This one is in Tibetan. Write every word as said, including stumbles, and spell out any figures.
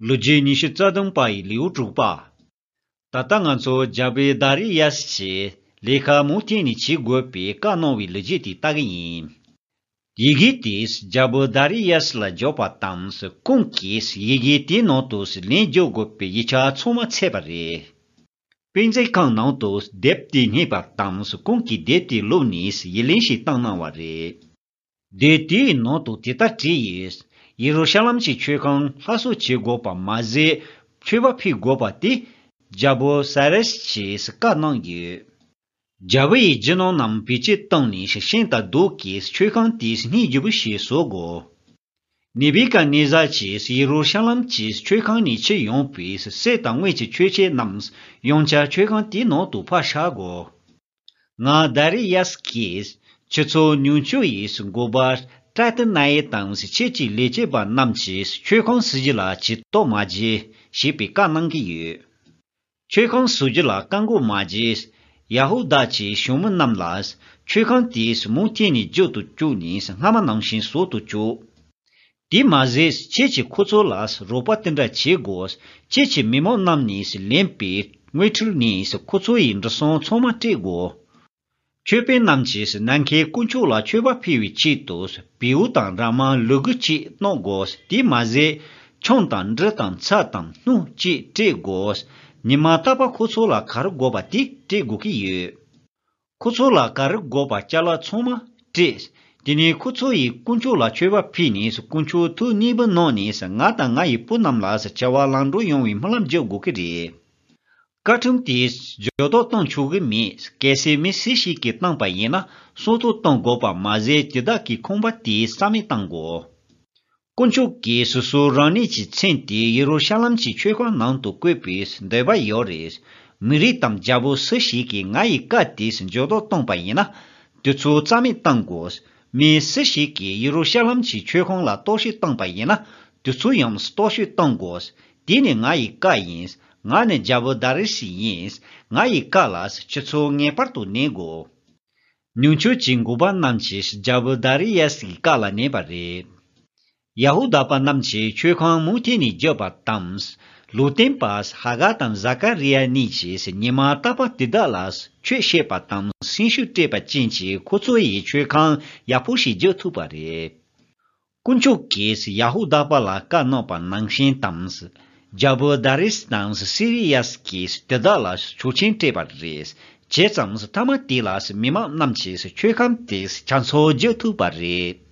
ལོ་རྒྱུས་ཉི་ཤུ་རྩ་བདུན་པ་ཡི་ལེའུ་དྲུག་པ། ད་ལྟ་ང་ཚོ་རྒྱལ་པོ་དཱ་རི་ཡཱས་ཀྱིས་ལས་ཀ་མུ་མཐུད་ནས་བྱེད་དགོས་པའི་བཀའ་གནང་བའི་ལོ་རྒྱུས་དེ་ལྟ་གི་ཡིན། ཡི་གེ་དེས་རྒྱལ་པོ་དཱ་རི་ཡཱས་ལ་འབྱོར་པ་དང་། ཁོང་གིས་ཡི་གེ་དེའི་ནང་དུ་ལན་རྒྱག་དགོས་པའི་ཡིག་ཆ་ཚང་མ་ཚད་པ་རེད། དཔེ་མཛོད་ཁང་ནང་དུ་དེབ་དེ་རྙེད་པ་དང་། ཁོང་གིས་དེབ་དེ་བླུགས་ནས་ཡིག་ལན་ཞིག་བཏང་གནང་བ་རེད། དེབ་དེའི་ནང་དུ་དེ་ལྟར་བྲིས་ཡོད། ཡེ་རུ་ཤ་ལམ་གྱི་མཆོད་ཁང་སླར་གསོ་བྱེད་དགོས་པ་མ་ཟད། མཆོད་པ་ཕུལ་དགོས་པ་དེ་རྒྱལ་པོ་སཱ་རེས་ཀྱིས་བཀའ་གནང་ཡོད། རྒྱལ་པོ་ཡིས་རྒྱུ་ནོར་རྣམས་བེད་སྤྱོད་བཏང་ནས་ཤིང་དང་རྡོ་གིས་མཆོད་ཁང་དེ་སྙིང་རྗེ་པོ་ཞིག་བཟོ་དགོས། ནེ་བི་ཀ་ནེ་ཛར་གྱིས་ཡེ་རུ་ཤ་ལམ་གྱི་མཆོད་ཁང་ནས་ཁྱེར་ཡོང་པའི་གསེར་དང་དངུལ་གྱི་མཆོད་ཆས་རྣམས་ཡང་བསྐྱར་མཆོད་ཁང་དེའི་ནང་དུ་ཕར་བཞག་དགོས། ང་དཱ་རི་ཡཱས་ཀྱིས་ཁྱེད་ཚོ་ནུབ་ཕྱོགས་ཡི་འགོ་པ་ཏྲ་ཏི་ན་ཡི་དང་ཁྱེད་ཀྱི་ལས་བྱེད་པ་རྣམས་ཀྱིས་མཆོད་ཁང་ཟིན་རྒྱུ་ལ་ཇུས་གཏོགས་མ་བྱེད་ཞེས་པའི་བཀའ་གནང་གི་ཡོད། མཆོད་ཁང་བཟོ་རྒྱུ་ལ་བཀག་འགོག་མ་བྱེད། ཡ་ཧུ་དཱ་གྱི་གཞོན་ནུ་རྣམས་ལ་མཆོད་ཁང་དེ་མུ་མཐུད་ནས་མཇུག་ཏུ་བཅུག་ནས་སྔ་མ་ནང་བཞིན་བཟོ་དུ་བཅུག་དེ་མ་ཟད་ཁྱེད་ཀྱིས་ཁོ་ཚོ་ལ་རོགས་པ་དེ་འདྲ་བྱེད་དགོས། ཁྱེད་ཀྱི་མི་མང་རྣམས་ནས་ལེན་པའི་དངུལ་ཁྲུལ་ནས་ཁོ་ཚོ་ཡི་འབྲུ་སྲང་ཚང་མ་སྤྲད་དགོས། མཆོད་དཔོན་རྣམས་ཀྱིས་ནམ་མཁའི་དཀོན་མཆོག་ལ་མཆོད་པ་ཕུལ་བའི་ཆེད་དུ་བེའུ་དང་ར་མ་ལུ་གུ་གཅིག་གནང་དགོས། དེ་མ་ཟད་ཆང་དང་འབྲུ་དང་ཚྭ་དང་སྣུམ་གཅིག་སྤྲད་དགོས། ཉི་མ་རྟག་པར་ཁོ་ཚོ་ལ་ག་རེ་དགོས་པ་དེ་སྤྲད་དགོས་ཀྱི་ཡོད། ཁོ་ཚོ་ལ་ག་རེ་དགོས་པ་ཅ་ལག་ཚང་མ་སྤྲད། དེ་ནས་ཁོ་ཚོ་ཡིས་དཀོན་མཆོག་ལ་མཆོད་པ་ཕུལ་ནས་དཀོན་མཆོག་ཐུགས་མཉེས་པོ་གནང་ནས་ང་དང་ང་ཡི་བུ་རྣམས་ལ་བྱ་བ་ལམ་འགྲོ་ཡོང་བའི་སྨོན་ལམ་རྒྱག་དགོས་ཀྱི་རེད། བཀའ་ཁྲིམས་དེས་འགྱུར་ལྡོག་གཏོང་ཆོག་གི་མེད། གལ་སྲིད་མི་སུ་ཞིག་གིས་བཏང་པ་ཡིན་ན་སྲུང་བརྩི་གཏོང་དགོས་པ་མ་ཟད་དེ་དག་གི་ཁང་པ་དེ་རྩ་མེད་གཏང་དགོས། དཀོན་མཆོག་གིས་སོ་སོ་རང་ཉིད་ཀྱི་མཚན་དེ་ཡེ་རུ་ཤ་ལམ་གྱི་མཆོད་ཁང་ནང་དུ་བཀོད་པའི་འདོད་པ་ཡོད་རེད། མི་རིགས་དང་རྒྱལ་པོ་སུ་ཞིག་གིས་ང་ཡི་བཀའ་དེ་འགྱུར་ལྡོག་བཏང་པ་ཡིན་ན། དེ་ཚོ་རྩ་མེད་གཏང་དགོས། མི་སུ་ཞིག་གིས་ཡེ་རུ་ཤ་ལམ་གྱི་མཆོད་ཁང་ལ་གཏོར་བཤིག་བཏང་པ་ཡིན་ན། དེ་ཚོ་ཡང་གཏོར་བཤིག་གཏང་དགོས། དེ་ནི་ང་ཡི་བཀའ་ཡིན། ང་ནི་རྒྱལ་པོ་དཱ་རི་ཤི་ཡིན། ང་ཡི་བཀའ་ལ་ཁྱེད་ཚོ་ངེས་པར་དུ་ཉན་དགོས། ནུབ་ཕྱོགས་ཀྱི་འགོ་པ་རྣམས་ཀྱིས་རྒྱལ་པོ་དཱ་རི་ཡཱས་ཀྱི་བཀའ་ལ་ཉན་པ་རེད། ཡ་ཧུ་དཱ་པ་རྣམས་ཀྱིས་མཆོད་ཁང་མུ་མཐུད་ནས་བརྒྱབ་པ་དང་། ལུང་སྟོན་པ་ཧ་ག་དང་ཟ་ཀ་རི་ཡ་གཉིས་ཀྱིས་ཉི་མ་རྟག་པར་དེ་དག་ལ་ཆོས་བཤད་པ་དང་སེམས་ཤུགས་སྤྲད་པ་ཅན་གྱིས་ཁོ་ཚོ་ཡི་མཆོད་ཁང་ཡག་པོ་ཞིག་རྒྱག་ཐུབ་པ་རེད། དཀོན་མཆོག་གིས་ཡ་ཧུ་དཱ་པ་ལ་བཀའ་གནང་པ་ནང་བཞིན་དང་། རྒྱལ་པོ་དཱ་རིས་དང་སི་རི་ཡཱས་ཀྱིས་དེ་དག་ལ་ཆོག་མཆན་སྤྲད་པ་རེད། བྱས་ཙང་མཐའ་མ་དེ་ལ་མི་མང་རྣམས་ཀྱིས་མཆོད་ཁང་དེ་ཆ་ཚང་རྒྱག་ཐུབ་པ་རེད།